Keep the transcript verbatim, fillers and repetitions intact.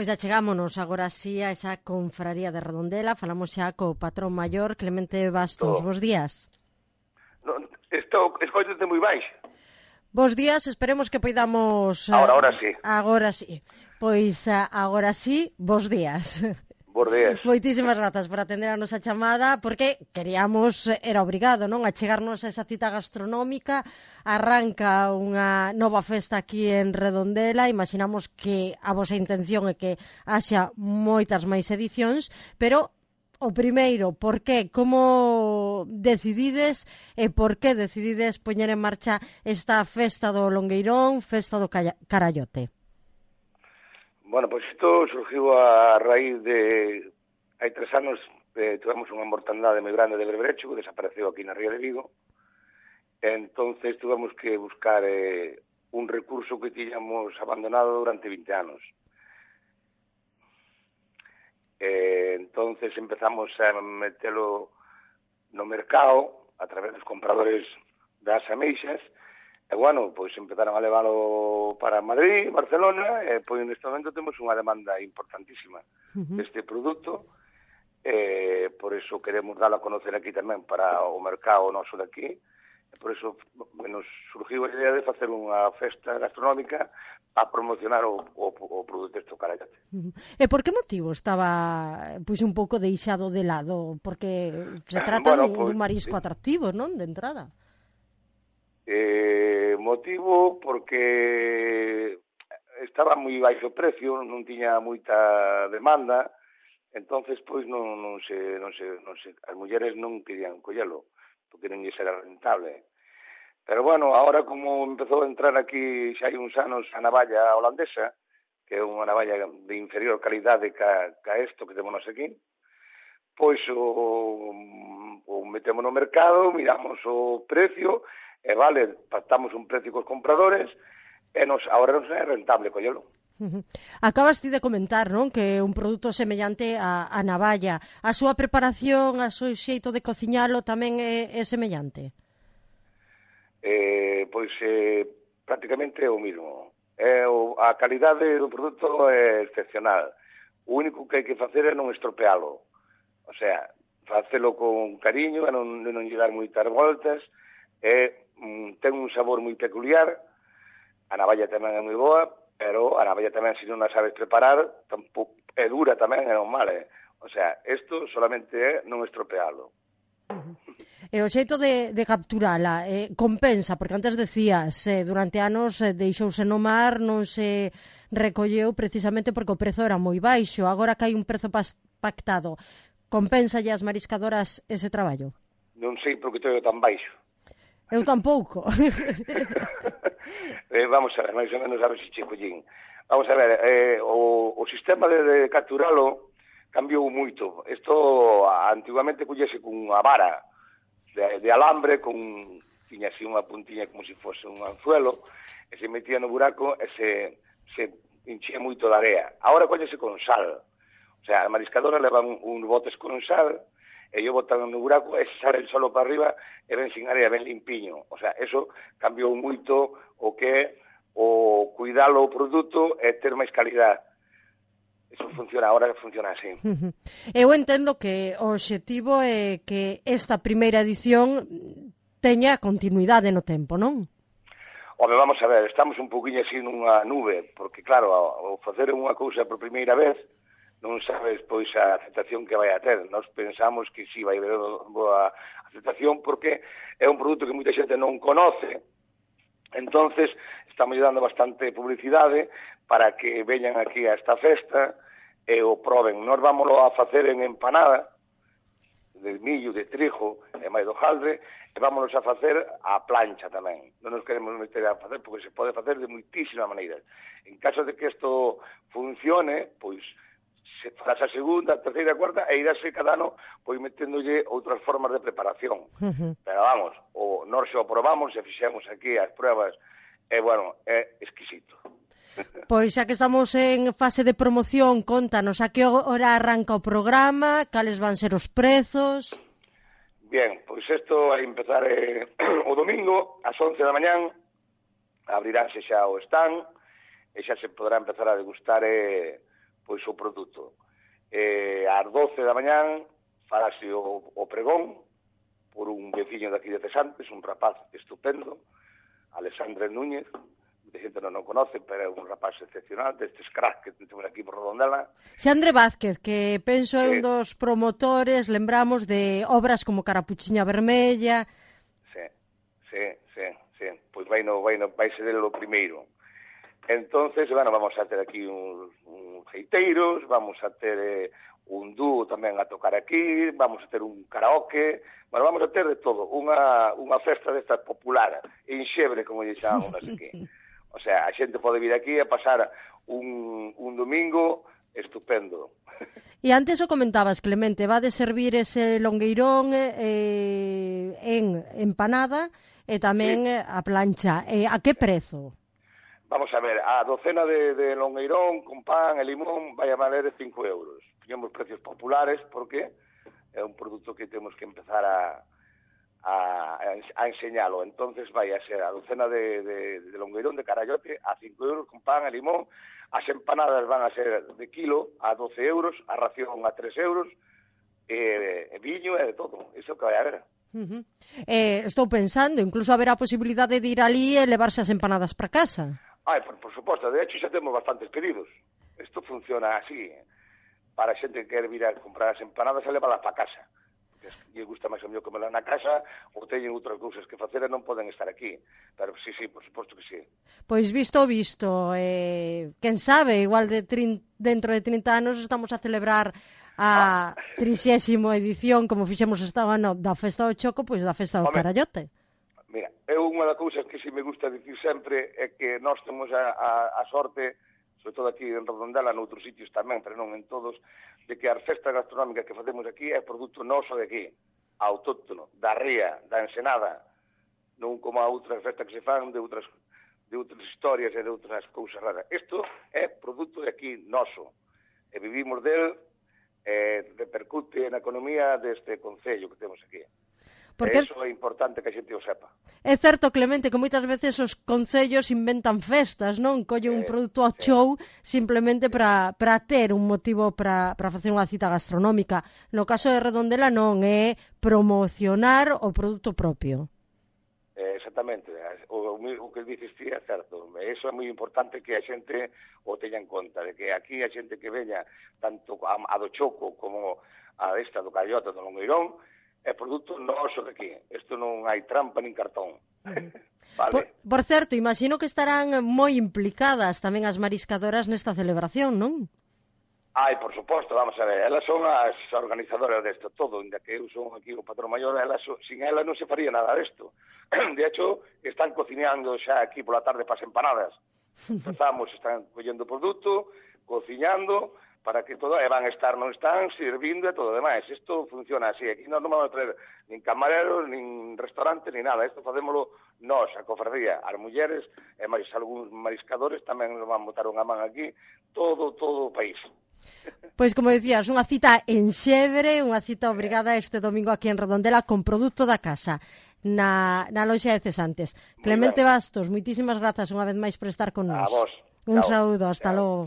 Pois achegámonos agora sí a esa confraría de Redondela. Falamos xa co patrón maior, Clemente Bastos. Estou. Bos días. Non, estou, escoitante moi baixo. Bos días, esperemos que poidamos... Ahora, ahora sí. Agora sí. Pois agora sí, bos días. Bos días. Moitísimas grazas por atender a nosa chamada, porque queríamos, era obrigado, non, a chegarnos a esa cita gastronómica. Arranca unha nova festa aquí en Redondela, imaginamos que a vosa intención é que haxa moitas máis edicións, pero o primeiro, por que, como decidides e por que decidides poñer en marcha esta festa do Longueirón, festa do Carallote? Bueno, pois isto surgiu a raíz de... Hai tres anos eh, tivemos unha mortandade moi grande de berberecho que desapareceu aquí na Ría de Vigo. Entonces tivemos que buscar eh, un recurso que tiñamos abandonado durante vinte anos. Eh, entonces empezamos a metelo no mercado a través dos compradores das ameixas. E, bueno, pois empezaron a leválo para Madrid, Barcelona, e, pois, neste momento temos unha demanda importantísima uh-huh. deste produto, e, por eso queremos dalo a conocer aquí tamén para o mercado noso de aquí, e por eso nos surgiu a idea de facer unha festa gastronómica a promocionar o, o, o produto deste Carallote. Uh-huh. E por que motivo estaba pois un pouco deixado de lado? Porque se trata bueno, dun, pues, dun marisco atractivo, non, de entrada. Eh, motivo porque estaba moi baixo o precio, non tiña moita demanda, entonces pois non, non se, non se, non se, as mulleres non querían collelo, porque non lle era rentable. Pero bueno, ahora como empezou a entrar aquí xa hai uns anos a navalla holandesa, que é unha navalla de inferior calidade ca, ca isto que temos aquí, pois o, o metemos no mercado, miramos o precio, e vale, pactamos un precio cos compradores e nos, agora non é rentable collelo. Uh-huh. Acabas ti de comentar, non, que é un produto semellante a, a navalla. A súa preparación, a seu xeito de cociñalo tamén é, é semellante? Eh, pois eh, prácticamente é o mismo. É o, a calidade do produto é excepcional. O único que hai que facer é non estropealo. O sea, facelo con cariño, e non, non lle dar moitas voltas. É ten un sabor moi peculiar, a navalla tamén é moi boa, pero a navalla tamén, se non a sabes preparar, tampouco, é dura tamén, é non mal, eh? O sea, isto solamente é non estropealo. Uh-huh. E o xeito de, de capturala eh, compensa, porque antes decías, eh, durante anos eh, deixouse no mar, non se recolleu precisamente porque o prezo era moi baixo, agora que hai un prezo pactado, compensa as mariscadoras ese traballo? Non sei porque todo tan baixo. Eu tampouco. eh, vamos a ver, máis ou menos a ver se che collín. Vamos a ver, eh, o, o sistema de, de capturalo cambiou moito. Isto antiguamente collese cunha vara de, de alambre, con tiña así unha puntiña como se fose un anzuelo, e se metía no buraco e se, se enchía moito de area. Agora collese con sal. O sea, a mariscadora levan uns botes con sal, e yo botan no buraco e sale el solo para arriba e ven sin área, ben limpiño. O sea, eso cambiou moito o que é o cuidalo o produto e ter máis calidad. Eso funciona, agora funciona así. Eu entendo que o obxectivo é que esta primeira edición teña continuidade no tempo, non? Home, vamos a ver, estamos un poquinho así nunha nube, porque claro, ao facer unha cousa por primeira vez, non sabes, pois, a aceptación que vai a ter. Nós pensamos que si vai haber boa aceptación porque é un produto que moita xente non conoce. Entonces, estamos dando bastante publicidade para que veñan aquí a esta festa e o proben. Nós vámoslo a facer en empanada, de millo, de trigo e máis do jaldre, e vámonos a facer a plancha tamén. Non nos queremos meter a facer porque se pode facer de moitísimas maneiras. En caso de que isto funcione, pois, se farás a segunda, a terceira, a cuarta, e irase cada ano pois meténdolle outras formas de preparación. Uh-huh. Pero vamos, o nós se o probamos, se fixemos aquí as pruebas, e, bueno, é exquisito. Pois xa que estamos en fase de promoción, contanos a que hora arranca o programa, cales van ser os prezos... Bien, pois isto vai empezar eh, o domingo, ás once da mañán, abriránse xa o stand, e xa se poderá empezar a degustar eh, pois o produto. Eh, ás doce da mañán farase o, o pregón por un veciño daqui de Cesantes, un rapaz estupendo, Alexandre Núñez, de xente non o conoce, pero é un rapaz excepcional, destes cracks que temos aquí por Redondela. Xandre Vázquez, que penso é un dos promotores, lembramos, de obras como Carapuchiña Vermella. Sí, sí, sí, sí. Pois vai no, vai no, vai ser o primeiro. Entonces, bueno, vamos a ter aquí uns, uns geiteiros, vamos a ter eh, un dúo tamén a tocar aquí, vamos a ter un karaoke, bueno, vamos a ter de todo, unha, unha festa desta popular, enxebre, como lle chamamos aquí. O sea, a xente pode vir aquí a pasar un, un domingo estupendo. E antes o comentabas, Clemente, va de servir ese longueirón eh, en empanada e tamén sí. a plancha. Eh, a que prezo? Vamos a ver, a docena de, de longueirón con pan e limón vai a valer cinco euros. Teñemos precios populares porque é un produto que temos que empezar a... A, a enseñalo. Entonces vai a ser a docena de, de, de longueirón de carallote a cinco euros con pan e limón, as empanadas van a ser de kilo a doce euros, a ración a tres euros, e, e viño e de todo, iso que vai a ver. Uh-huh. eh, estou pensando, incluso haberá a posibilidade de ir ali e levarse as empanadas para casa. Ai, por, por suposto, de hecho xa temos bastantes pedidos. Isto funciona así, para a xente que quer vir a comprar as empanadas e levarlas para casa. E gusta máis o mellor comerla na casa ou teñen outras cousas que facer e non poden estar aquí. Pero sí, sí, por suposto que sí. Pois visto o visto, eh, quen sabe, igual de trin, dentro de trinta anos estamos a celebrar a trixésima edición, como fixemos esta ano da Festa do Choco, pois da Festa do Home, Carallote. Mira, é unha das cousas que si me gusta dicir sempre é que nós temos a, a, a sorte, sobre todo aquí en Redondela, noutros sitios tamén, pero non en todos, de que as festas gastronómicas que facemos aquí é produto noso de aquí, autóctono, da ría, da ensenada, non como a outras festas que se fan de outras, de outras historias e de outras cousas raras. Isto é produto de aquí noso, e vivimos del, e repercute na economía deste concello que temos aquí. Porque eso é importante que a xente o sepa. É certo, Clemente, que moitas veces os concellos inventan festas, non? Collen un produto ao show simplemente para para ter un motivo para para facer unha cita gastronómica. No caso de Redondela non, é promocionar o produto propio. Eh, exactamente. O, o que dices ti é certo. Eso é moi importante que a xente o teña en conta, de que aquí a xente que veña tanto a, a do Choco como a esta do Carallote do Longueirón é produto noso de aquí. Isto non hai trampa nin cartón. Uh-huh. Vale. Por, por certo, imagino que estarán moi implicadas tamén as mariscadoras nesta celebración, non? Ai, por suposto, vamos a ver, elas son as organizadoras desto todo, inda que eu son aquí o patrón maior, elas, sin elas non se faría nada desto. De hecho, están cociñando xa aquí pola tarde para as empanadas. Empezamos, están collendo produto, cociñando, para que todo, e van a estar, non están, servindo e todo o demais. Isto funciona así. Aquí non vamos a traer nin camareros, nin restaurantes, nin nada. Isto facémolo nós, a cofradía, as mulleres, e máis algúns mariscadores tamén nos van botar unha man aquí, todo, todo o país. Pois, como decías, unha cita en Xebre, unha cita obrigada este domingo aquí en Redondela con produto da casa, na, na loxa de Cesantes. Clemente Bastos, moitísimas grazas unha vez máis por estar con nós. A vos. Un saúdo, hasta logo.